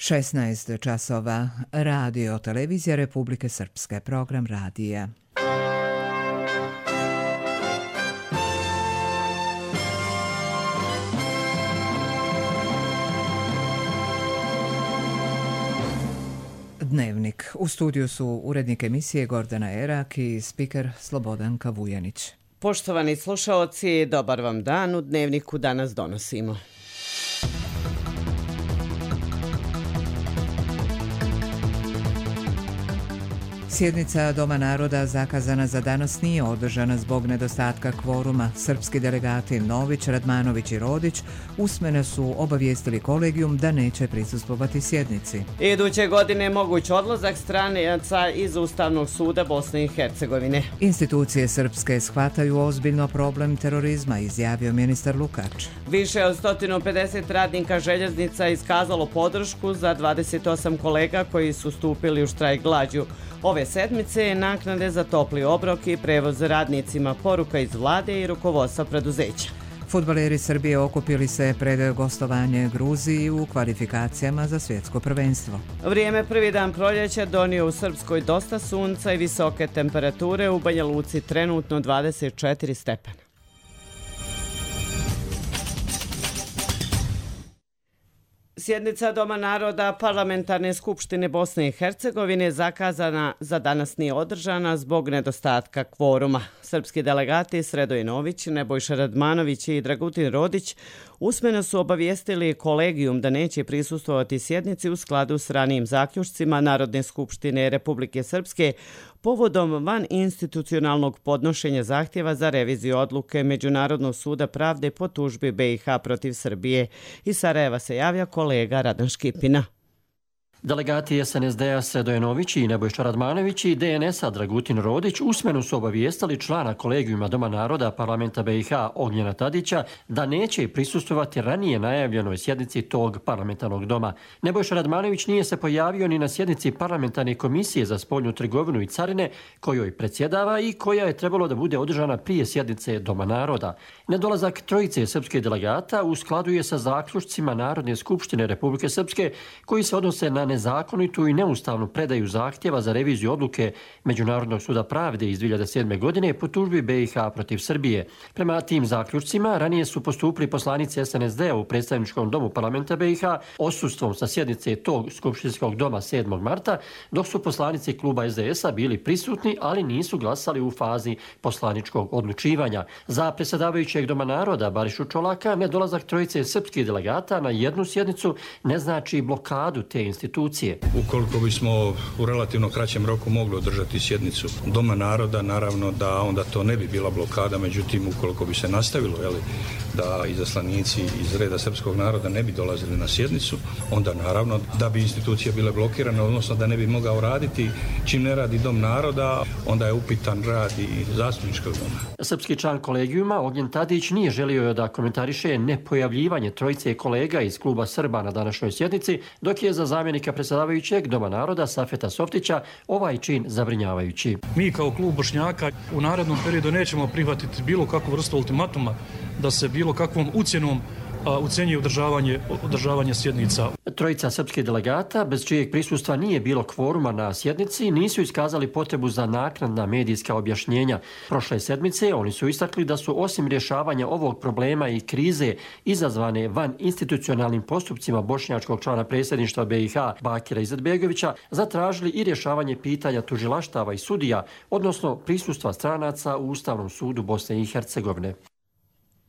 16 časova. Radio Televizija Republike Srpske. Program radija. Dnevnik. U studiju su urednik emisije Gordana Erak i spiker Slobodanka Vujanić. Poštovani slušaoci, dobar vam dan. U Dnevniku danas donosimo. Sjednica Doma naroda zakazana za danas nije održana zbog nedostatka kvoruma. Srpski delegati Nović, Radmanović i Rodić usmeno su obavijestili kolegijum da neće prisustvovati sjednici. Iduće godine moguć odlazak stranaca iz Ustavnog suda Bosne i Hercegovine. Institucije srpske shvataju ozbiljno problem terorizma, izjavio ministar Lukač. Više od 150 radnika željeznica iskazalo podršku za 28 kolega koji su stupili u štrajk glađu. Ove sedmice je naknade za topli obrok i prevoz radnicima, poruka iz vlade i rukovodstva preduzeća. Fudbaleri Srbije okupili se pred gostovanje Gruziji u kvalifikacijama za svjetsko prvenstvo. Vrijeme prvi dan proljeća donio u Srpskoj dosta sunca i visoke temperature, u Banja Luci trenutno 24 stepena. Sjednica Doma naroda Parlamentarne skupštine Bosne i Hercegovine zakazana za danas nije održana zbog nedostatka kvoruma. Srpski delegati Sredoje Nović, Nebojša Radmanović i Dragutin Rodić usmeno su obavijestili kolegijum da neće prisustvovati sjednici u skladu s ranijim zaključcima Narodne skupštine Republike Srpske povodom van institucionalnog podnošenja zahtjeva za reviziju odluke Međunarodnog suda pravde po tužbi BiH protiv Srbije. Iz Sarajeva se javlja kolega Radan Škipina. Delegati SNSD-a Sredoje Nović i Nebojša Radmanović i DNS-a Dragutin Rodić usmeno su obavijestili člana kolegijuma Doma naroda Parlamenta BiH Ognjena Tadića da neće prisustvovati ranije najavljenoj sjednici tog parlamentarnog doma. Nebojša Radmanović nije se pojavio ni na sjednici parlamentarne komisije za spoljnu trgovinu i carine kojoj predsjedava i koja je trebalo da bude održana prije sjednice Doma naroda. Nedolazak trojice srpskih delegata u skladu je sa zaključcima Narodne skupštine Republike Srpske koji se odnose na nezakonitu i neustavnu predaju zahtjeva za reviziju odluke Međunarodnog suda pravde iz 2007. godine po tužbi BiH protiv Srbije. Prema tim zaključcima ranije su postupili poslanici SNSD-a u predstavničkom domu parlamenta BiH odsustvom sa sjednice tog skupštinskog doma 7. marta, dok su poslanici kluba SDS-a bili prisutni, ali nisu glasali u fazi poslaničkog odlučivanja. Za predsjedavajućeg Doma naroda Barišu Čolaka nedolazak trojice srpskih delegata na jednu sjednicu ne znači blokadu te institucije. Ukoliko bismo u relativno kraćem roku mogli održati sjednicu Doma naroda, naravno da onda to ne bi bila blokada, međutim ukoliko bi se nastavilo da izaslanici iz reda srpskog naroda ne bi dolazili na sjednicu, onda naravno da bi institucije bile blokirane, odnosno da ne bi mogao raditi. Čim ne radi Dom naroda, onda je upitan rad i zastupničkog doma. Srpski član kolegijuma Ognjen Tadić nije želio da komentariše nepojavljivanje trojice kolega iz kluba Srba na današnjoj sjednici, dok je za zamjenika predsjedavajućeg Doma naroda Safeta Softića ovaj čin zabrinjavajući. Mi kao klub Bošnjaka u narednom periodu nećemo prihvatiti bilo kakvu vrstu ultimatuma da se bilo kakvom ucjenom ucenjuje održavanje sjednica. Trojica srpskih delegata, bez čijeg prisustva nije bilo kvoruma na sjednici, nisu iskazali potrebu za naknadna medijska objašnjenja. Prošle sedmice oni su istakli da su osim rješavanja ovog problema i krize izazvane van institucionalnim postupcima bošnjačkog člana predsjedništva BiH Bakira Izetbegovića zatražili i rješavanje pitanja tužilaštava i sudija, odnosno prisustva stranaca u Ustavnom sudu Bosne i Hercegovine.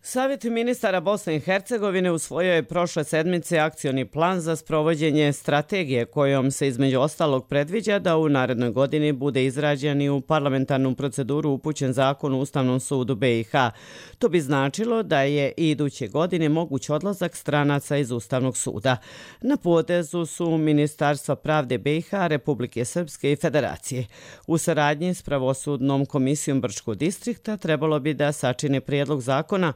Savjet ministara Bosne i Hercegovine usvojio je prošle sedmice akcioni plan za sprovođenje strategije kojom se između ostalog predviđa da u narednoj godini bude izrađen i u parlamentarnu proceduru upućen zakon u Ustavnom sudu BiH. To bi značilo da je i iduće godine moguć odlazak stranaca iz Ustavnog suda. Na potezu su Ministarstva pravde BiH, Republike Srpske i Federacije. U saradnji s Pravosudnom komisijom Brčkog distrikta trebalo bi da sačine prijedlog zakona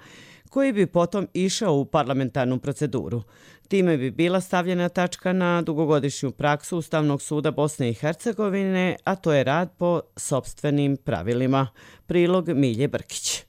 koji bi potom išao u parlamentarnu proceduru. Time bi bila stavljena tačka na dugogodišnju praksu Ustavnog suda Bosne i Hercegovine, a to je rad po sopstvenim pravilima. Prilog Milje Brkić.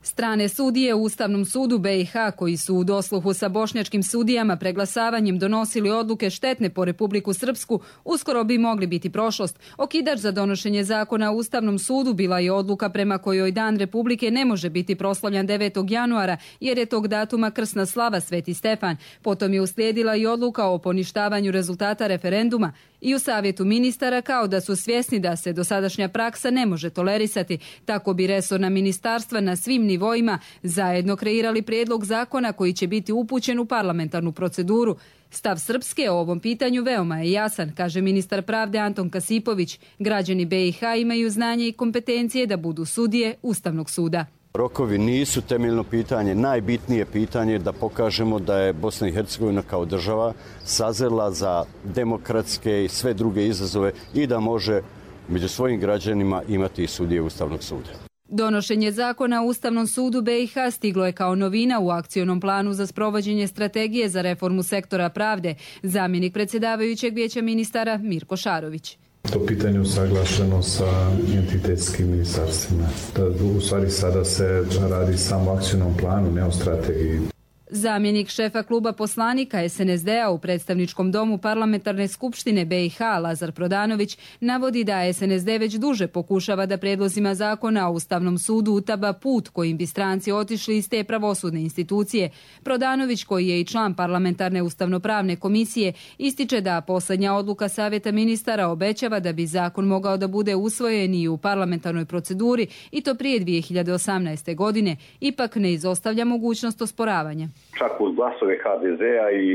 Strane sudije u Ustavnom sudu BiH koji su u dosluhu sa bošnjačkim sudijama preglasavanjem donosili odluke štetne po Republiku Srpsku uskoro bi mogli biti prošlost. Okidač za donošenje zakona u Ustavnom sudu bila je odluka prema kojoj Dan Republike ne može biti proslavljan 9. januara jer je tog datuma krsna slava Sveti Stefan. Potom je uslijedila i odluka o poništavanju rezultata referenduma. I u Savjetu ministara kao da su svjesni da se dosadašnja praksa ne može tolerisati. Tako bi resorna ministarstva na svim nivoima zajedno kreirali prijedlog zakona koji će biti upućen u parlamentarnu proceduru. Stav Srpske o ovom pitanju veoma je jasan, kaže ministar pravde Anton Kasipović. Građani BiH imaju znanje i kompetencije da budu sudije Ustavnog suda. Rokovi nisu temeljno pitanje. Najbitnije pitanje je da pokažemo da je Bosna i Hercegovina kao država sazrela za demokratske i sve druge izazove i da može među svojim građanima imati i sudije Ustavnog suda. Donošenje zakona u Ustavnom sudu BiH stiglo je kao novina u akcionom planu za sprovođenje strategije za reformu sektora pravde. Zamjenik predsjedavajućeg vijeća ministara Mirko Šarović. To pitanje usaglašeno sa entitetskim ministarstvima. U stvari sada se radi samo o akcionom planu, ne o strategiji. Zamjenik šefa kluba poslanika SNSD-a u predstavničkom domu parlamentarne skupštine BiH Lazar Prodanović navodi da SNSD već duže pokušava da prijedlozima zakona o Ustavnom sudu utaba put kojim bi stranci otišli iz te pravosudne institucije. Prodanović, koji je i član parlamentarne ustavnopravne komisije, ističe da posljednja odluka Savjeta ministara obećava da bi zakon mogao da bude usvojen i u parlamentarnoj proceduri i to prije 2018. godine, ipak ne izostavlja mogućnost osporavanja. Čak uz glasove HDZ-a i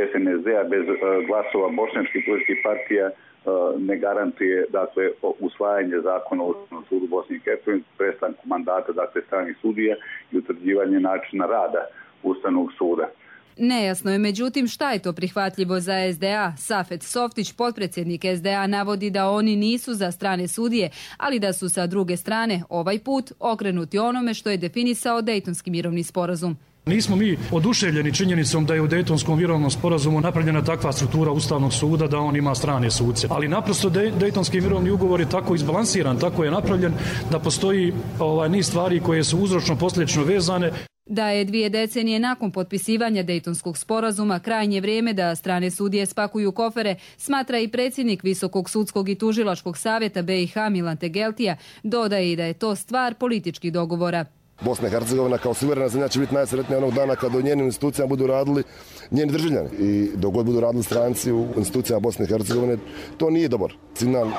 SNSD-a bez glasova bošnjačkih političkih partija ne garantuje dakle usvajanje zakona o Ustavnom sudu Bosne i Hercegovine, prestanku mandata dakle stranih sudija i utvrđivanje načina rada Ustavnog suda. Nejasno je međutim šta je to prihvatljivo za SDA. Safet Softić, potpredsjednik SDA, navodi da oni nisu za strane sudije, ali da su sa druge strane ovaj put okrenuti onome što je definisao Dejtonski mirovni sporazum. Nismo mi oduševljeni činjenicom da je u Dejtonskom mirovnom sporazumu napravljena takva struktura Ustavnog suda da on ima strane suce. Ali naprosto Dejtonski mirovni ugovor je tako izbalansiran, tako je napravljen da postoji niz stvari koje su uzročno-posljedično vezane. Da je 2 decenije nakon potpisivanja Dejtonskog sporazuma krajnje vrijeme da strane sudije spakuju kofere, smatra i predsjednik Visokog sudskog i tužilačkog savjeta BiH Milan Tegeltija, dodaje i da je to stvar političkih dogovora. Bosna i Hercegovina kao suverena zemlja će biti najsretnija onog dana kada u njenim institucijama budu radili njeni državljani. I dok god budu radili stranci u institucijama Bosne i Hercegovine, to nije dobar signal.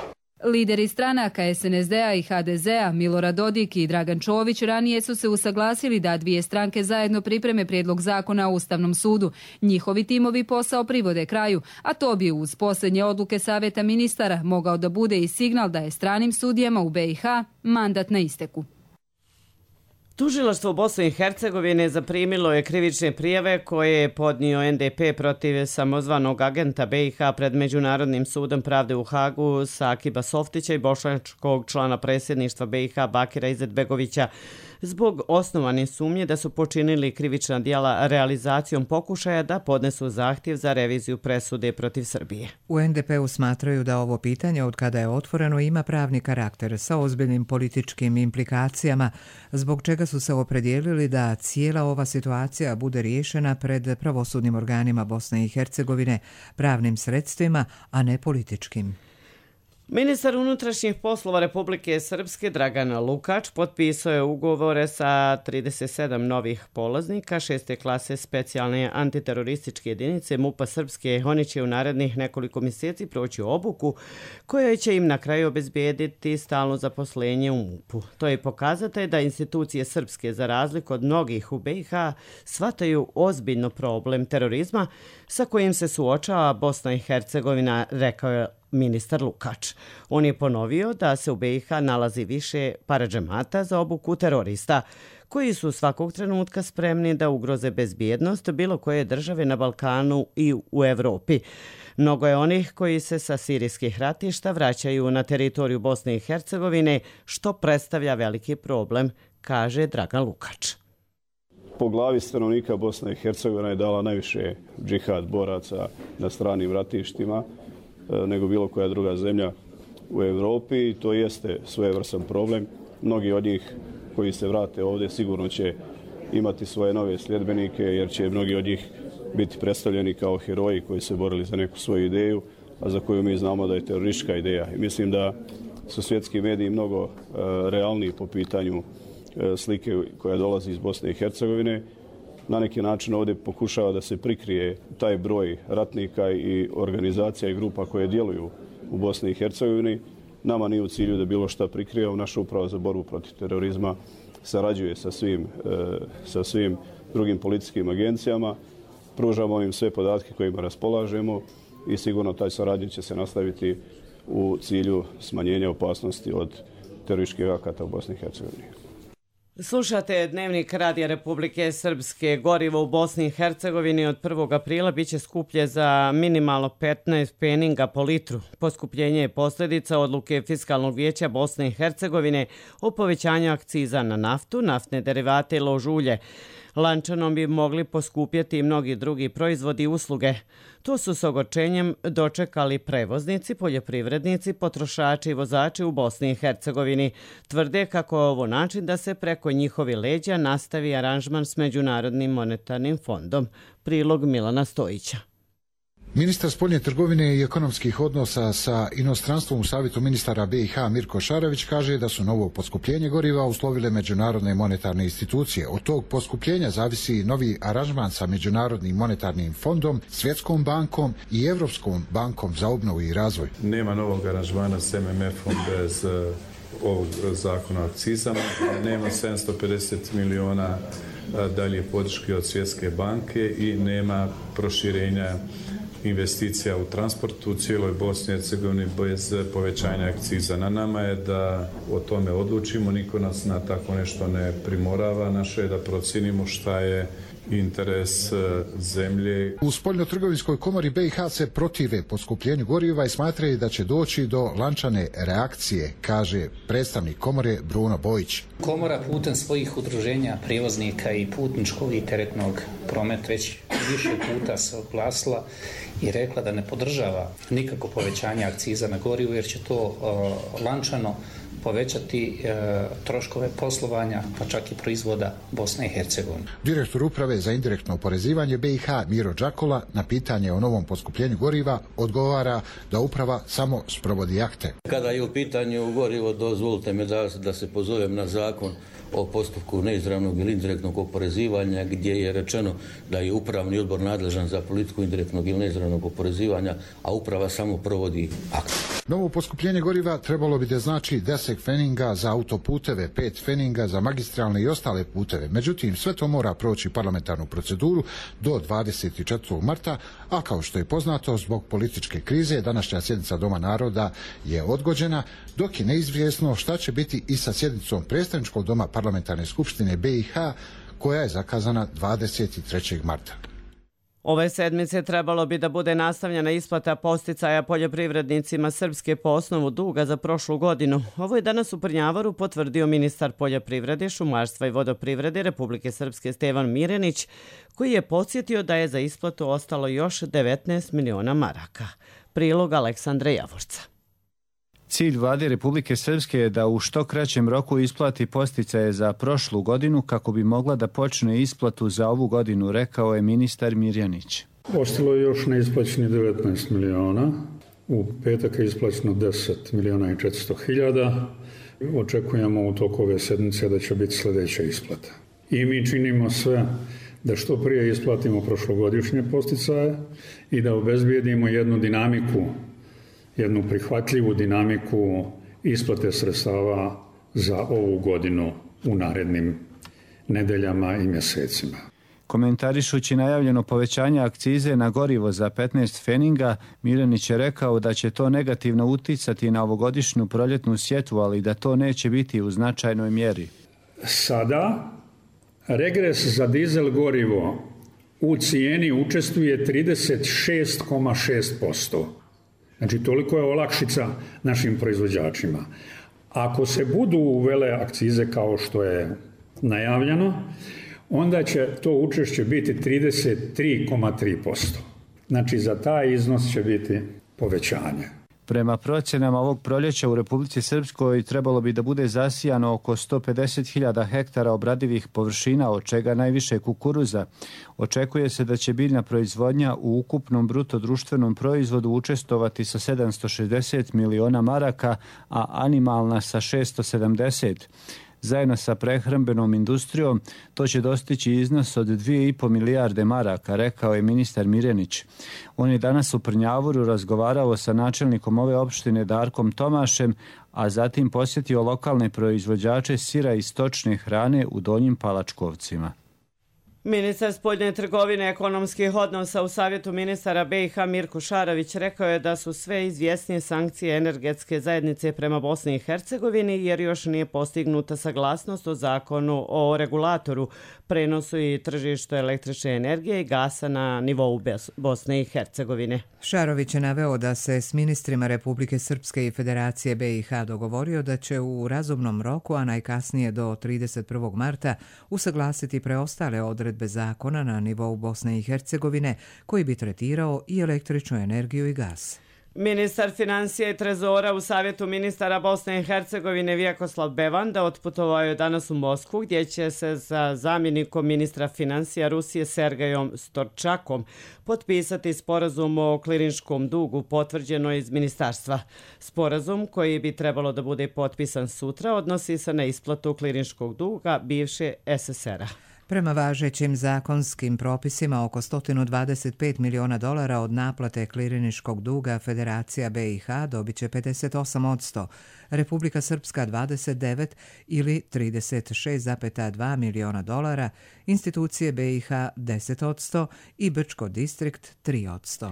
Lideri stranaka SNSD-a i HDZ-a Milorad Dodik i Dragan Čović ranije su se usaglasili da 2 stranke zajedno pripreme prijedlog zakona o Ustavnom sudu. Njihovi timovi posao privode kraju, a to bi uz posljednje odluke Savjeta ministara mogao da bude i signal da je stranim sudijama u BiH mandat na isteku. Tužilaštvo Bosne i Hercegovine zaprimilo je krivične prijave koje je podnio NDP protiv samozvanog agenta BiH pred Međunarodnim sudom pravde u Hagu Sakiba Softića i bošnjačkog člana predsjedništva BiH Bakira Izetbegovića zbog osnovane sumnje da su počinili krivična djela realizacijom pokušaja da podnesu zahtjev za reviziju presude protiv Srbije. U NDP-u smatraju da ovo pitanje od kada je otvoreno ima pravni karakter sa ozbiljnim političkim implikacijama, zbog čega su se opredijelili da cijela ova situacija bude riješena pred pravosudnim organima Bosne i Hercegovine pravnim sredstvima, a ne političkim. Ministar unutrašnjih poslova Republike Srpske Dragan Lukač potpisao je ugovore sa 37 novih polaznika 6. klase specijalne antiterorističke jedinice MUP-a Srpske. Oni će u narednih nekoliko mjeseci proći obuku koja će im na kraju obezbijediti stalno zaposlenje u MUP-u. To je pokazatelj da institucije srpske, za razliku od mnogih u BiH, shvataju ozbiljno problem terorizma sa kojim se suočava Bosna i Hercegovina, rekao je ministar Lukač. On je ponovio da se u BiH nalazi više paradžemata za obuku terorista, koji su svakog trenutka spremni da ugroze bezbjednost bilo koje države na Balkanu i u Evropi. Mnogo je onih koji se sa sirijskih ratišta vraćaju na teritoriju Bosne i Hercegovine, što predstavlja veliki problem, kaže Dragan Lukač. Po glavi stanovnika Bosna i Hercegovina je dala najviše džihad boraca na stranim ratištima nego bilo koja druga zemlja u Evropi i to jeste svojevrstan problem. Mnogi od njih koji se vrate ovdje sigurno će imati svoje nove sljedbenike, jer će mnogi od njih biti predstavljeni kao heroji koji se borili za neku svoju ideju, a za koju mi znamo da je teroristička ideja. I mislim da su svjetski mediji mnogo realniji po pitanju slike koja dolazi iz Bosne i Hercegovine. Na neki način ovdje pokušava da se prikrije taj broj ratnika i organizacija i grupa koje djeluju u Bosni i Hercegovini. Nama nije u cilju da bilo šta prikrije. Naša uprava za borbu protiv terorizma sarađuje sa svim drugim policijskim agencijama. Pružamo im sve podatke kojima raspolažemo i sigurno taj saradnja će se nastaviti u cilju smanjenja opasnosti od terorističkih akata u Bosni i Hercegovini. Slušate Dnevnik Radija Republike Srpske. Gorivo u Bosni i Hercegovini od 1. aprila biće skuplje za minimalno 15 pfeninga po litru. Poskupljenje je posljedica odluke Fiskalnog vijeća Bosne i Hercegovine o povećanju akciza na naftu, naftne derivate i lož ulje. Lančanom bi mogli poskupjeti i mnogi drugi proizvodi i usluge. To su s ogorčenjem dočekali prevoznici, poljoprivrednici, potrošači i vozači u Bosni i Hercegovini. Tvrde kako je ovo način da se preko njihovi leđa nastavi aranžman s Međunarodnim monetarnim fondom. Prilog Milana Stojića. Ministar spoljne trgovine i ekonomskih odnosa sa inostranstvom u Savjetu ministara BiH Mirko Šarović kaže da su novo poskupljenje goriva uslovile međunarodne monetarne institucije. Od tog poskupljenja zavisi novi aranžman sa Međunarodnim monetarnim fondom, Svjetskom bankom i Evropskom bankom za obnovu i razvoj. Nema novog aranžmana s MMF-om bez ovog zakona o akcizama. Nema 750 miliona dalje podrške od Svjetske banke i nema proširenja investicija u transportu u cijeloj Bosni i Hercegovini bez povećanja akciza. Na nama je da o tome odlučimo, niko nas na tako nešto ne primorava. Naše je da procijenimo šta je interes zemlje. U Spoljnotrgovinskoj komori BiH se protive poskupljenju goriva i smatraju da će doći do lančane reakcije, kaže predstavnik komore Bruno Bojić. Komora putem svojih udruženja prijevoznika i putničkog i teretnog prometa već više puta se oglasila i rekla da ne podržava nikako povećanje akciza na gorivo jer će to lančano povećati troškove poslovanja, pa čak i proizvoda Bosne i Hercegovine. Direktor uprave za indirektno oporezivanje BiH Miro Đakola na pitanje o novom poskupljenju goriva odgovara da uprava samo sprovodi akte. Kada je u pitanju gorivo, dozvolite mi da se pozovem na zakon o postupku neizravnog ili indirektnog oporezivanja gdje je rečeno da je upravni odbor nadležan za politiku indirektnog ili neizravnog oporezivanja, a uprava samo provodi akt. Novo poskupljenje goriva trebalo bi da znači 10 pfeninga za autoputeve, 5 pfeninga za magistralne i ostale puteve. Međutim, sve to mora proći parlamentarnu proceduru do 24. marta, a kao što je poznato, zbog političke krize, današnja sjednica Doma naroda je odgođena, dok je neizvjesno šta će biti i sa sjednicom predstavničkog doma parlamentarne skupštine BiH, koja je zakazana 23. marta. Ove sedmice trebalo bi da bude nastavljena isplata posticaja poljoprivrednicima Srpske po osnovu duga za prošlu godinu. Ovo je danas u Prnjavaru potvrdio ministar poljoprivrede, šumarstva i vodoprivrede Republike Srpske Stevan Mirenić, koji je podsjetio da je za isplatu ostalo još 19 miliona maraka. Prilog Aleksandra Javorca. Cilj vlade Republike Srpske je da u što kraćem roku isplati posticaje za prošlu godinu kako bi mogla da počne isplatu za ovu godinu, rekao je ministar Mirjanić. Ostalo je još neisplaćeni 19 miliona. U petak je isplaćeno 10 miliona i 400 hiljada. Očekujemo u toku ove sedmice da će biti sljedeća isplata. I mi činimo sve da što prije isplatimo prošlogodišnje posticaje i da obezbijedimo jednu dinamiku, jednu prihvatljivu dinamiku isplate sredstava za ovu godinu u narednim nedeljama i mjesecima. Komentarišući najavljeno povećanje akcize na gorivo za 15 pfeninga, Mirjanić je rekao da će to negativno uticati na ovogodišnju proljetnu sjetvu, ali da to neće biti u značajnoj mjeri. Sada regres za dizel gorivo u cijeni učestvuje 36,6%. Znači, toliko je olakšica našim proizvođačima. Ako se budu uvele akcize kao što je najavljeno, onda će to učešće biti 33,3%. Znači, za taj iznos će biti povećanje. Prema procjenama ovog proljeća u Republici Srpskoj trebalo bi da bude zasijano oko 150.000 hektara obradivih površina, od čega najviše kukuruza. Očekuje se da će biljna proizvodnja u ukupnom bruto društvenom proizvodu učestvovati sa 760 miliona maraka, a animalna sa 670. Zajedno sa prehrambenom industrijom to će dostići iznos od 2,5 milijarde maraka, rekao je ministar Mirenić. On je danas u Prnjavoru razgovarao sa načelnikom ove opštine Darkom Tomašem, a zatim posjetio lokalne proizvođače sira i stočne hrane u Donjim Palačkovcima. Ministar spoljne trgovine ekonomskih odnosa u Savjetu ministara BiH Mirko Šarović rekao je da su sve izvjesnije sankcije energetske zajednice prema Bosni i Hercegovini jer još nije postignuta saglasnost o zakonu o regulatoru, prenosu i tržištu električne energije i gasa na nivou Bosne i Hercegovine. Šarović je naveo da se s ministrima Republike Srpske i Federacije BiH dogovorio da će u razumnom roku, a najkasnije do 31. marta, usaglasiti preostale odredbe zakona na nivou Bosne i Hercegovine koji bi tretirao i električnu energiju i gas. Ministar financija i trezora u Savjetu ministara Bosne i Hercegovine Vjekoslav Bevanda otputovao je danas u Moskvu gdje će se sa zamjenikom ministra financija Rusije Sergejom Storčakom potpisati sporazum o klirinškom dugu potvrđeno iz ministarstva. Sporazum koji bi trebalo da bude potpisan sutra odnosi se na isplatu klirinškog duga bivše SSR-a. Prema važećim zakonskim propisima, oko $125 miliona od naplate kliriniškog duga Federacija BiH dobit će 58%, Republika Srpska 29 ili $36,2 miliona, institucije BiH 10% i Brčko distrikt 3%.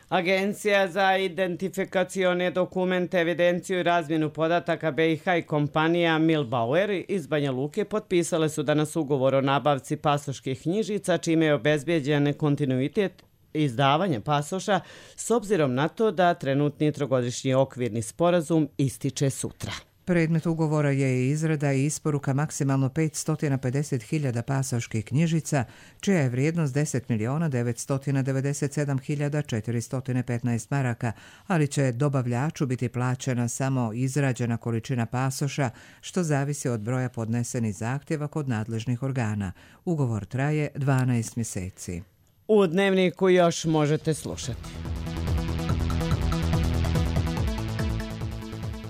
Agencija za identifikacione dokumente, evidenciju i razmjenu podataka BiH i kompanija Milbauer iz Banja Luke potpisale su danas ugovor o nabavci pasoških knjižica, čime je obezbijeđen kontinuitet izdavanja pasoša s obzirom na to da trenutni trogodišnji okvirni sporazum ističe sutra. Predmet ugovora je izrada i isporuka maksimalno 550.000 pasoških knjižica, čija je vrijednost 10.997.415 maraka, ali će dobavljaču biti plaćena samo izrađena količina pasoša, što zavisi od broja podnesenih zahtjeva kod nadležnih organa. Ugovor traje 12 mjeseci. U Dnevniku još možete slušati.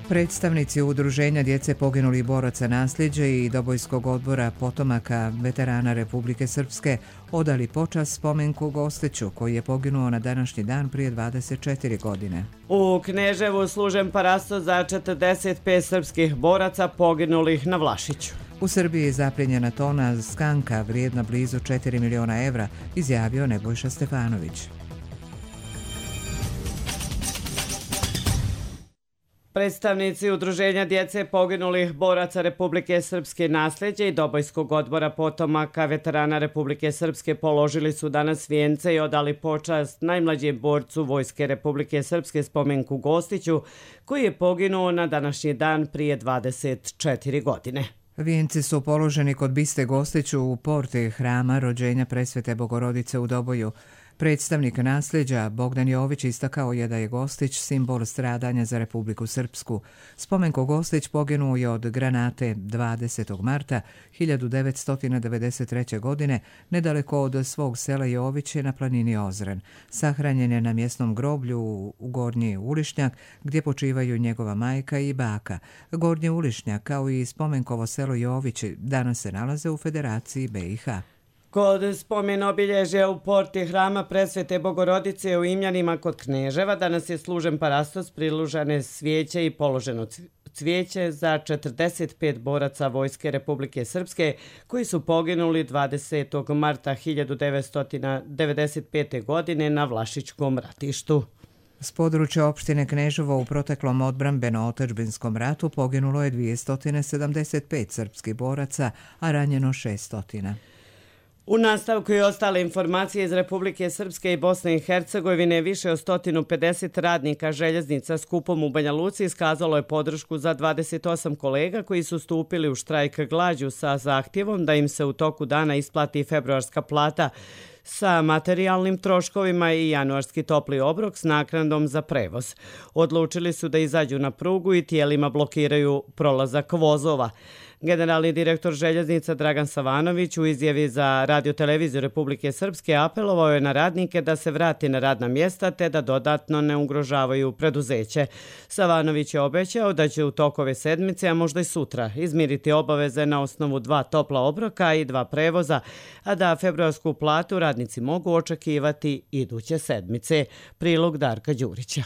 Predstavnici Udruženja djece poginulih boraca nasljeđe i Dobojskog odbora potomaka veterana Republike Srpske odali počast spomenku Gostiću koji je poginuo na današnji dan prije 24 godine. U Kneževu služen parasto za 45 srpskih boraca poginulih na Vlašiću. U Srbiji je zapljenjena tona skanka vrijedna blizu 4 miliona evra, izjavio Nebojša Stefanović. Predstavnici Udruženja djece poginulih boraca Republike Srpske nasljeđe i Dobojskog odbora potomaka veterana Republike Srpske položili su danas vijence i odali počast najmlađem borcu Vojske Republike Srpske spomenku Gostiću, koji je poginuo na današnji dan prije 24 godine. Vijenci su položeni kod biste Gostiću u porti hrama rođenja Presvete Bogorodice u Doboju. Predstavnik nasljeđa Bogdan Jović istakao je da je Gostić simbol stradanja za Republiku Srpsku. Spomenko Gostić poginuo je od granate 20. marta 1993. godine nedaleko od svog sela Joviće na planini Ozren. Sahranjen je na mjesnom groblju u Gornji Ulišnjak gdje počivaju njegova majka i baka. Gornji Ulišnjak kao i spomenkovo selo Jovići danas se nalaze u Federaciji BiH. Kod spomen obilježja u porti hrama Presvete Bogorodice u Imljanima kod Kneževa danas je služen parastos, prilužane svijeće i položeno cvijeće za 45 boraca Vojske Republike Srpske koji su poginuli 20. marta 1995. godine na Vlašićkom ratištu. S područja opštine Kneževo u proteklom odbrambeno-otadžbinskom ratu poginulo je 275 srpskih boraca, a ranjeno 600. U nastavku i ostale informacije iz Republike Srpske i Bosne i Hercegovine, više od 150 radnika željeznica s Kupom u Banja Luci iskazalo je podršku za 28 kolega koji su stupili u štrajk glađu sa zahtjevom da im se u toku dana isplati februarska plata. sa materijalnim troškovima i januarski topli obrok s naknadom za prevoz. Odlučili su da izađu na prugu i tijelima blokiraju prolazak vozova. Generalni direktor željeznica Dragan Savanović u izjavi za Radio-televiziju Republike Srpske apelovao je na radnike da se vrati na radna mjesta te da dodatno ne ugrožavaju preduzeće. Savanović je obećao da će u toku ove sedmice, a možda i sutra, izmiriti obaveze na osnovu 2 topla obroka i 2 prevoza, a da februarsku platu radnici mogu očekivati iduće sedmice. Prilog Darka Đurića.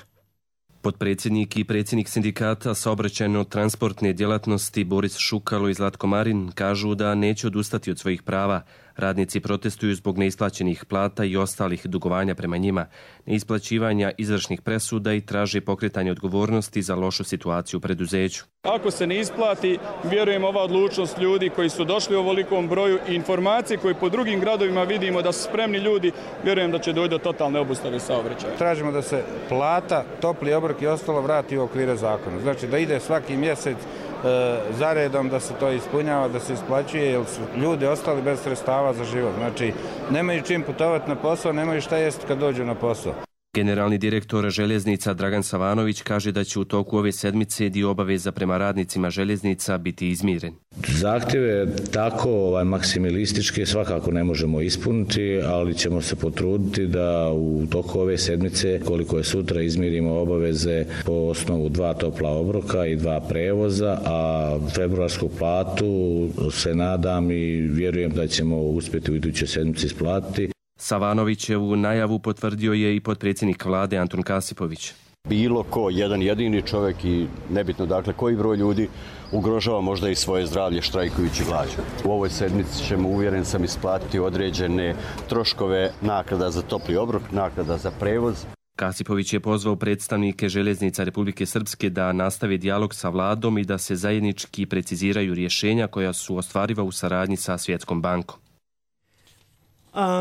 Potpredsjednik i predsjednik sindikata saobraćajno-transportne djelatnosti Boris Šukalo i Zlatko Marin kažu da neće odustati od svojih prava. Radnici protestuju zbog neisplaćenih plata i ostalih dugovanja prema njima, neisplaćivanja izvršnih presuda i traže pokretanje odgovornosti za lošu situaciju u preduzeću. Ako se ne isplati, vjerujem ova odlučnost ljudi koji su došli u ovolikom broju i informacije koje po drugim gradovima vidimo da su spremni ljudi, vjerujem da će doći do totalne obustave saobraćaja. Tražimo da se plata, topli obrok i ostalo vrati u okvire zakona. Znači da ide svaki mjesec zaredom, da se to ispunjava, da se isplaćuje, jer su ljudi ostali bez sredstava za život. Znači, nemaju čim putovati na posao, nemaju šta jesti kad dođu na posao. Generalni direktor željeznica Dragan Savanović kaže da će u toku ove sedmice dio obaveza prema radnicima željeznica biti izmiren. Zahtjeve tako maksimalističke svakako ne možemo ispuniti, ali ćemo se potruditi da u toku ove sedmice, koliko je sutra, izmirimo obaveze po osnovu 2 topla obroka i 2 prevoza, a februarsku platu se nadam i vjerujem da ćemo uspjeti u idućoj sedmici isplatiti. Savanovićevu najavu potvrdio je i potpredsjednik vlade Antun Kasipović. Bilo ko, jedan jedini čovjek i nebitno dakle koji broj ljudi ugrožava možda i svoje zdravlje štrajkujući glađu. U ovoj sedmici ćemo, uvjeren sam, isplatiti određene troškove naknada za topli obrok, naknada za prevoz. Kasipović je pozvao predstavnike željeznica Republike Srpske da nastave dijalog sa vladom i da se zajednički preciziraju rješenja koja su ostvariva u saradnji sa Svjetskom bankom.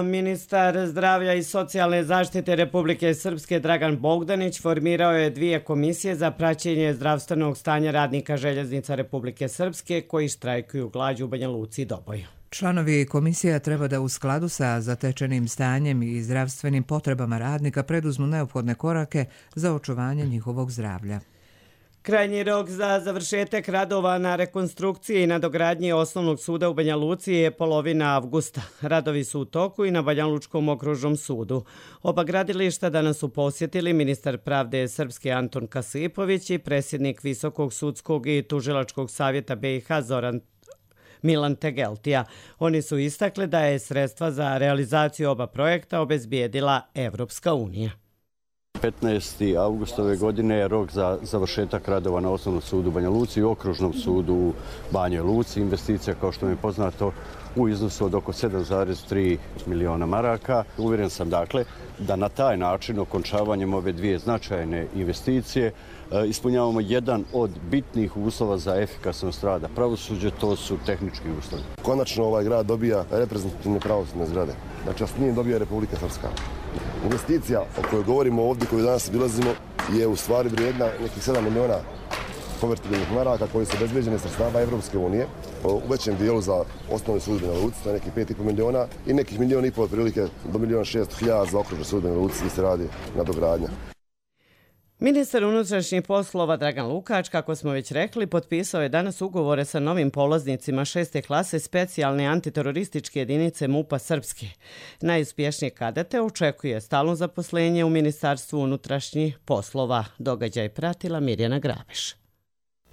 Ministar zdravlja i socijalne zaštite Republike Srpske Dragan Bogdanić formirao je 2 komisije za praćenje zdravstvenog stanja radnika željeznica Republike Srpske koji štrajkuju glađu u Banja Luci i Doboju. Članovi komisija treba da u skladu sa zatečenim stanjem i zdravstvenim potrebama radnika preduzmu neophodne korake za očuvanje njihovog zdravlja. Krajnji rok za završetak radova na rekonstrukciji i nadogradnji osnovnog suda u Banja Luci je polovina avgusta. Radovi su u toku i na Banja Lučkom okružnom sudu. Oba gradilišta danas su posjetili ministar pravde Srpske Antun Kasipović i predsjednik Visokog sudskog i tužilačkog savjeta BiH Milan Tegeltija. Oni su istakli da je sredstva za realizaciju oba projekta obezbijedila Evropska unija. 15. avgustove godine je rok za završetak radova na Osnovnom sudu u Banja Luci i Okružnom sudu u Banjoj Luci. Investicija, kao što mi je poznato, u iznosu od oko 7,3 miliona maraka. Uvjeren sam dakle da na taj način, okončavanjem ove 2 značajne investicije, ispunjavamo jedan od bitnih uslova za efikasnost rada pravosuđa, to su tehnički uslovi. Konačno ovaj grad dobija reprezentativne pravosudne zgrade. Znači, s njim dobija Republika Srpska. Investicija o kojoj govorimo ovdje, koju danas bilazimo, je u stvari vrijedna nekih 7 miliona konvertibilnih maraka koji su obezbeđene sredstava Evropske unije. U većem dijelu za osnovni sud u Banja Luci, to je nekih 5,5 miliona i nekih 1,5 miliona otprilike do 1.600.000 za okružni sud u Banja Luci gdje se radi nadogradnja. Ministar unutrašnjih poslova Dragan Lukač, kako smo već rekli, potpisao je danas ugovore sa novim polaznicima 6. klase specijalne antiterorističke jedinice MUP-a Srpske. Najuspješnije kadete očekuje stalno zaposlenje u Ministarstvu unutrašnjih poslova. Događaj pratila Mirjana Grabiš.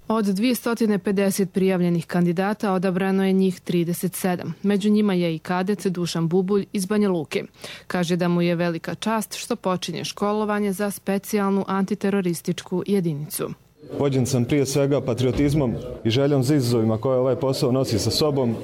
Od 250 prijavljenih kandidata odabrano je njih 37. Među njima je i kadet Dušan Bubulj iz Banja Luke. Kaže da mu je velika čast što počinje školovanje za specijalnu antiterorističku jedinicu. Vođen sam prije svega patriotizmom i željom za izazovima koje ovaj posao nosi sa sobom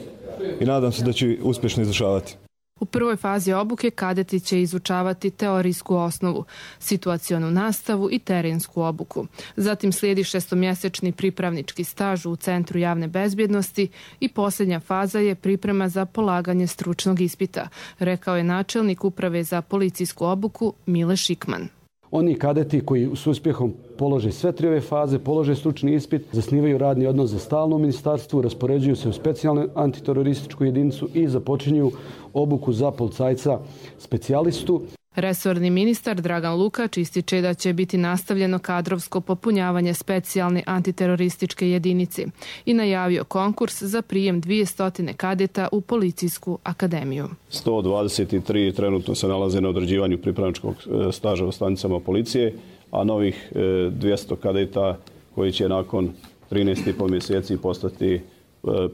i nadam se da ću uspješno izvršavati. U prvoj fazi obuke kadeti će izučavati teorijsku osnovu, situacionu nastavu i terensku obuku. Zatim slijedi 6-mjesečni pripravnički staž u Centru javne bezbjednosti i posljednja faza je priprema za polaganje stručnog ispita, rekao je načelnik Uprave za policijsku obuku Mile Šikman. Oni kadeti koji s uspjehom polože sve 3 ove faze, polože stručni ispit, zasnivaju radni odnos za stalno u ministarstvu, raspoređuju se u specijalnu antiterorističku jedinicu i započinju obuku za policajca specijalistu. Resorni ministar Dragan Lukač ističe da će biti nastavljeno kadrovsko popunjavanje specijalne antiterorističke jedinice i najavio konkurs za prijem 200 kadeta u policijsku akademiju. 123 trenutno se nalaze na odrađivanju pripravničkog staža u stanicama policije, a novih 200 kadeta koji će nakon 13,5 mjeseci postati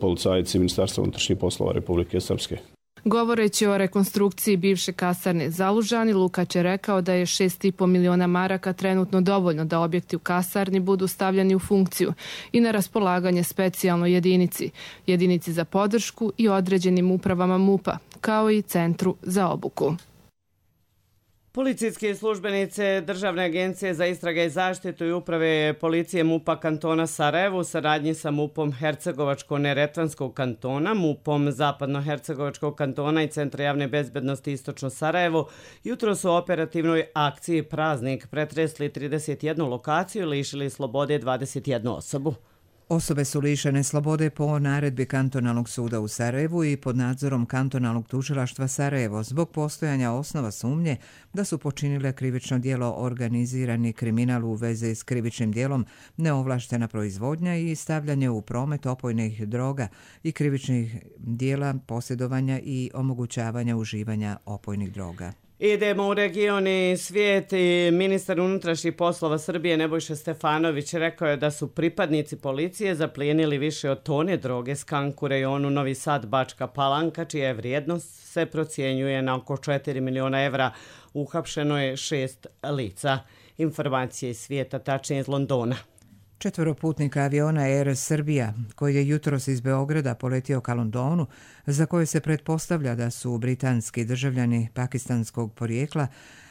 policajci Ministarstva unutrašnjih poslova Republike Srpske. Govoreći o rekonstrukciji bivše kasarne Zalužani, Lukač je rekao da je 6,5 miliona maraka trenutno dovoljno da objekti u kasarni budu stavljeni u funkciju i na raspolaganje specijalnoj jedinici za podršku i određenim upravama MUP-a, kao i Centru za obuku. Policijske službenice Državne agencije za istrage i zaštitu i uprave policije MUP-a kantona Sarajevo u saradnji sa MUP-om Hercegovačko-Neretvanskog kantona, MUP-om Zapadno-Hercegovačkog kantona i Centra javne bezbednosti Istočno Sarajevo jutro su u operativnoj akciji Praznik pretresli 31 lokaciju i lišili slobode 21 osobu. Osobe su lišene slobode po naredbi Kantonalnog suda u Sarajevu i pod nadzorom Kantonalnog tužilaštva Sarajevo zbog postojanja osnova sumnje da su počinile krivično djelo organizirani kriminal u vezi s krivičnim djelom neovlaštena proizvodnja i stavljanje u promet opojnih droga i krivičnih djela posjedovanja i omogućavanja uživanja opojnih droga. Idemo u region i svijet i ministar unutrašnjih poslova Srbije Nebojša Stefanović rekao je da su pripadnici policije zaplijenili više od tone droge skank u rejonu Novi Sad Bačka Palanka, čija je vrijednost se procjenjuje na oko 4 miliona evra. Uhapšeno je 6 lica. Informacije iz svijeta, tačnije iz Londona. 4 putnika aviona Air Serbia, koji je jutros iz Beograda poletio ka Londonu, za koje se pretpostavlja da su britanski državljani pakistanskog porijekla,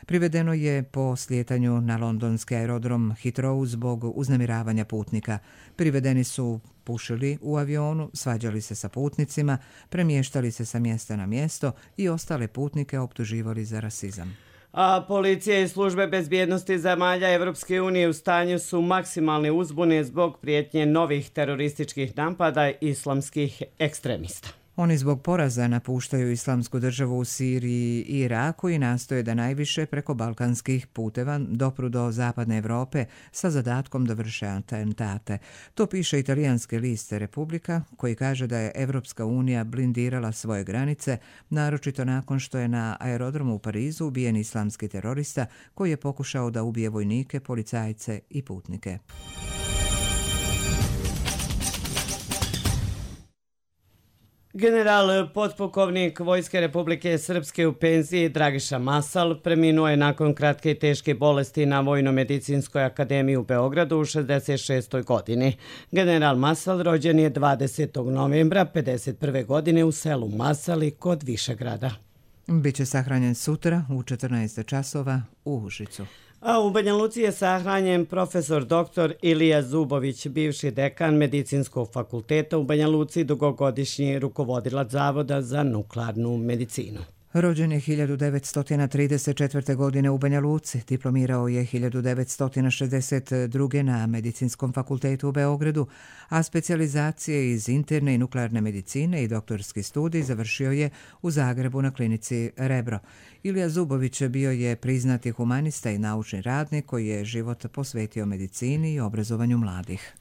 privedeno je po slijetanju na londonski aerodrom Heathrow zbog uznemiravanja putnika. Privedeni su pušili u avionu, svađali se sa putnicima, premještali se sa mjesta na mjesto i ostale putnike optuživali za rasizam. A policija i službe bezbjednosti zemalja Evropske unije u stanju su maksimalne uzbune zbog prijetnje novih terorističkih napada islamskih ekstremista. Oni zbog poraza napuštaju islamsku državu u Siriji i Iraku i nastoje da najviše preko balkanskih puteva dopru do zapadne Evrope sa zadatkom da vrše atentate. To piše italijanski list Republika, koji kaže da je Evropska unija blindirala svoje granice, naročito nakon što je na aerodromu u Parizu ubijen islamski terorista koji je pokušao da ubije vojnike, policajce i putnike. General potpukovnik Vojske Republike Srpske u penziji Dragiša Masal preminuo je nakon kratke i teške bolesti na Vojno-medicinskoj akademiji u Beogradu u 66. godini. General Masal rođen je 20. novembra 51. godine u selu Masali kod Višegrada. Biće sahranjen sutra u 14 časova u Užicu. A u Banja Luci je sahranjen profesor dr. Ilija Zubović, bivši dekan Medicinskog fakulteta u Banja Luci, dugogodišnji rukovodilac Zavoda za nuklearnu medicinu. Rođen je 1934. godine u Banja Luci, diplomirao je 1962. na Medicinskom fakultetu u Beogradu, a specijalizacije iz interne i nuklearne medicine i doktorski studij završio je u Zagrebu na klinici Rebro. Ilija Zubović bio je priznati humanista i naučni radnik koji je život posvetio medicini i obrazovanju mladih.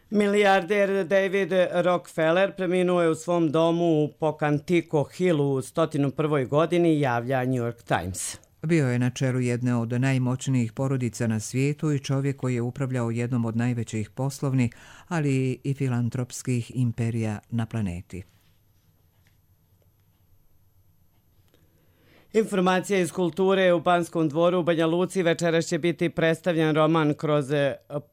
Milijarder David Rockefeller preminuo je u svom domu u Pocantico Hillu u 101. godini, javlja New York Times. Bio je na čelu jedne od najmoćnijih porodica na svijetu i čovjek koji je upravljao jednom od najvećih poslovnih, ali i filantropskih imperija na planeti. Informacija iz kulture u Banskom dvoru u Banja Luci večeras će biti predstavljen roman Kroz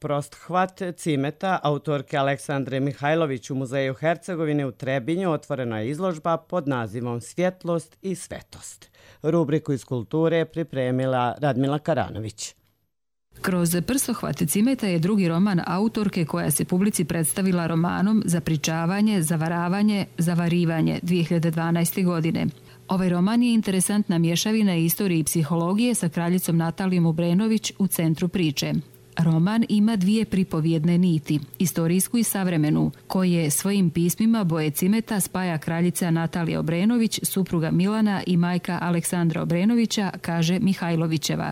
prosthvat Cimeta, autorke Aleksandre Mihajlović u Muzeju Hercegovine u Trebinju. Otvorena je izložba pod nazivom Svjetlost i svetost. Rubriku iz kulture pripremila Radmila Karanović. Kroz prstohvat Cimeta je drugi roman autorke koja se publici predstavila romanom Zapričavanje, zavaravanje, zavarivanje 2012. godine. Ovaj roman je interesantna mješavina istorije i psihologije sa kraljicom Natalijom Obrenović u centru priče. Roman ima dvije pripovjedne niti, istorijsku i savremenu, koje svojim pismima boje cimeta spaja kraljica Natalija Obrenović, supruga Milana i majka Aleksandra Obrenovića, kaže Mihajlovićeva.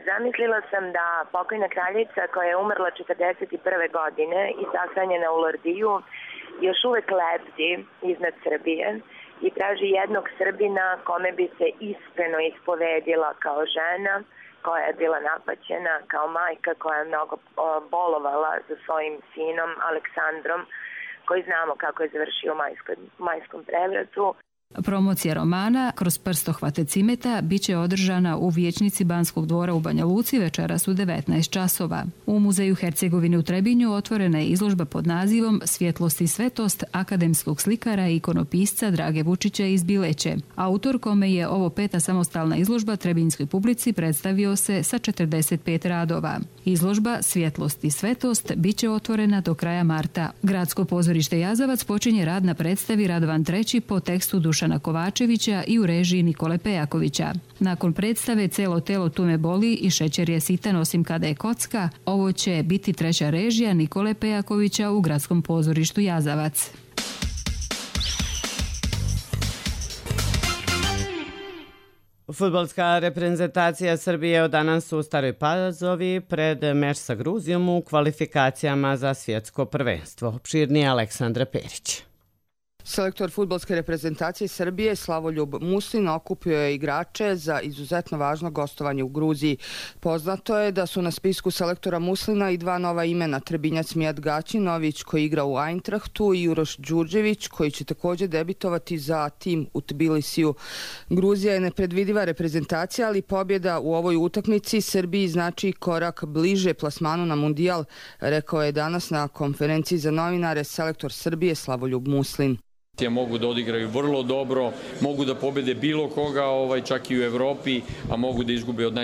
Zamislila sam da pokojna kraljica koja je umrla 41. godine i sahranjena u Lordiju još uvek lebdi iznad Srbije i traži jednog Srbina kome bi se iskreno ispovedila kao žena koja je bila napaćena, kao majka koja je mnogo bolovala za svojim sinom Aleksandrom, koji znamo kako je završio u majskom prevratu. Promocija romana kroz prstohvate cimeta biće održana u vijećnici Banskog dvora u Banja Luci večeras u 19 časova. U Muzeju Hercegovine u Trebinju otvorena je izložba pod nazivom Svjetlost i svetost akademskog slikara i ikonopisca Drage Vučića iz Bileće. Autor, kome je ovo 5. samostalna izložba trebinjskoj publici, predstavio se sa 45 radova. Izložba Svjetlost i svetost biće otvorena do kraja marta. Gradsko pozorište Jazavac počinje rad na predstavi Radovan III po tekstu Dušana Kovačevića i u režiji Nikole Pejakovića. Nakon predstave Celo telo tu me boli i Šećer je sitan osim kada je kocka, ovo će biti treća režija Nikole Pejakovića u Gradskom pozorištu Jazavac. Fudbalska reprezentacija Srbije od danas u Staroj Pazovi pred meč sa Gruzijom u kvalifikacijama za svjetsko prvenstvo. Opširnije Aleksandra Perić. Selektor fudbalske reprezentacije Srbije Slavoljub Muslin okupio je igrače za izuzetno važno gostovanje u Gruziji. Poznato je da su na spisku selektora Muslina i dva nova imena, Trebinjac Mijat Gaćinović koji igra u Eintrachtu i Uroš Đurđević koji će također debitovati za tim u Tbilisiju. Gruzija je nepredvidiva reprezentacija, ali pobjeda u ovoj utakmici Srbiji znači korak bliže plasmanu na Mundijal, rekao je danas na konferenciji za novinare selektor Srbije Slavoljub Muslin. Mogu da odigraju vrlo dobro, mogu da pobede bilo koga, čak i u Evropi, a mogu da izgube od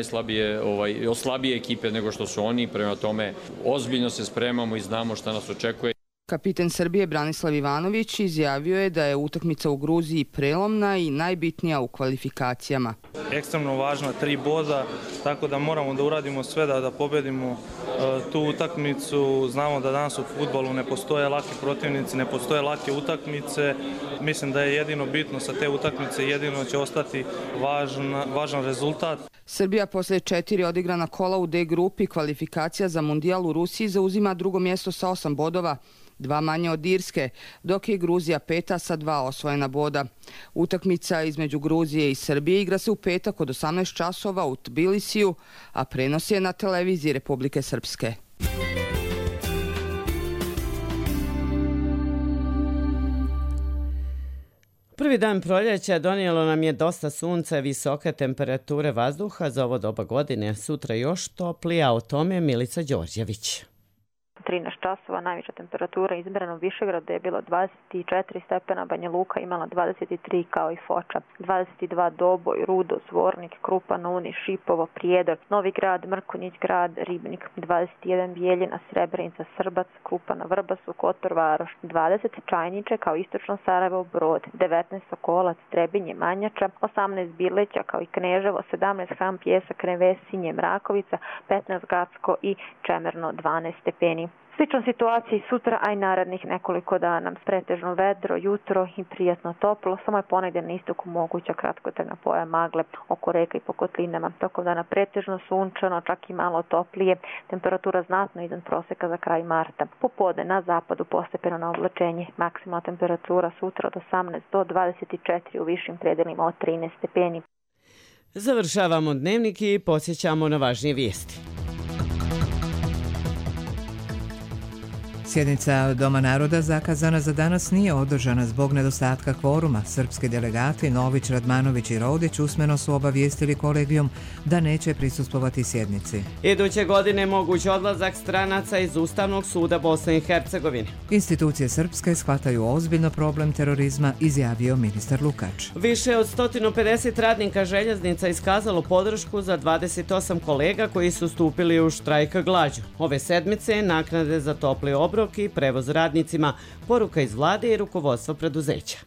od slabije ekipe nego što su oni. Prema tome, ozbiljno se spremamo i znamo šta nas očekuje. Kapiten Srbije Branislav Ivanović izjavio je da je utakmica u Gruziji prelomna i najbitnija u kvalifikacijama. Ekstremno važna 3 boda, tako da moramo da uradimo sve da pobedimo tu utakmicu. Znamo da danas u fudbalu ne postoje laki protivnici, ne postoje lake utakmice. Mislim da je jedino bitno sa te utakmice, jedino će ostati važan rezultat. Srbija posle 4 odigrana kola u D grupi kvalifikacija za Mundijal u Rusiji zauzima drugo mjesto sa 8 bodova, 2 manje od Irske, dok je Gruzija 5. sa 2 osvojena boda. Utakmica između Gruzije i Srbije igra se u petak od 18 časova u Tbilisiju, a prenos je na televiziji Republike Srpske. Prvi dan proljeća donijelo nam je dosta sunca i visoke temperature vazduha za ovo doba godine. Sutra još toplija, o tome Milica Đorđević. 13 časova, najviša temperatura izmjerena u Višegradu je bilo 24 stepena, Banja Luka imala 23 kao i Foča, 22 Doboj, Rudo, Zvornik, Krupa, Uni, Šipovo, Prijedor, Novi Grad, Mrkonjić Grad, Ribnik, 21 Bijeljina, Srebrenica, Srbac, Krupana, Vrbasu, Kotor, Varoš, 20 Čajniče kao istočno Sarajevo, Brod, 19 Sokolac, Trebinje, Manjača, 18 Bileća kao i Kneževo, 17 Ham, Pjesak, Nevesinje, Mrakovica, 15 Gacko i Čemerno, 12 stepeni. Slična situacija i sutra, a i narednih nekoliko dana. Pretežno vedro, jutro i prijatno toplo, samo je ponegdje na istoku moguća kratkotrajna pojava magle oko reka i po kotlinama. Tokom dana pretežno sunčano, čak i malo toplije, temperatura znatno iznad proseka za kraj marta. Popodne na zapadu postepeno na oblačenje, maksimalna temperatura sutra od 18 do 24, u višim predelima od 13 stepeni. Završavamo dnevnik i podsjećamo na važnije vijesti. Sjednica Doma naroda zakazana za danas nije održana zbog nedostatka kvoruma. Srpski delegati Nović, Radmanović i Rodić usmeno su obavijestili kolegijum da neće prisustvovati sjednici. Iduće godine moguć odlazak stranaca iz Ustavnog suda Bosne i Hercegovine. Institucije srpske shvataju ozbiljno problem terorizma, izjavio ministar Lukač. Više od 150 radnika željeznica iskazalo podršku za 28 kolega koji su stupili u štrajk glađu. Ove sedmice naknade za topli obrok i prevoz radnicima, poruka iz vlade i rukovodstva preduzeća.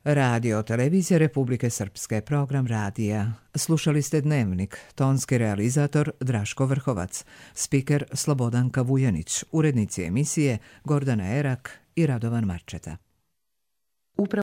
Radio Televizija Republike Srpske, program radija. Slušali ste Dnevnik, tonski realizator Draško Vrhovac, spiker Slobodanka Vujanić, urednici emisije Gordana Erak i Radovan Marčeta.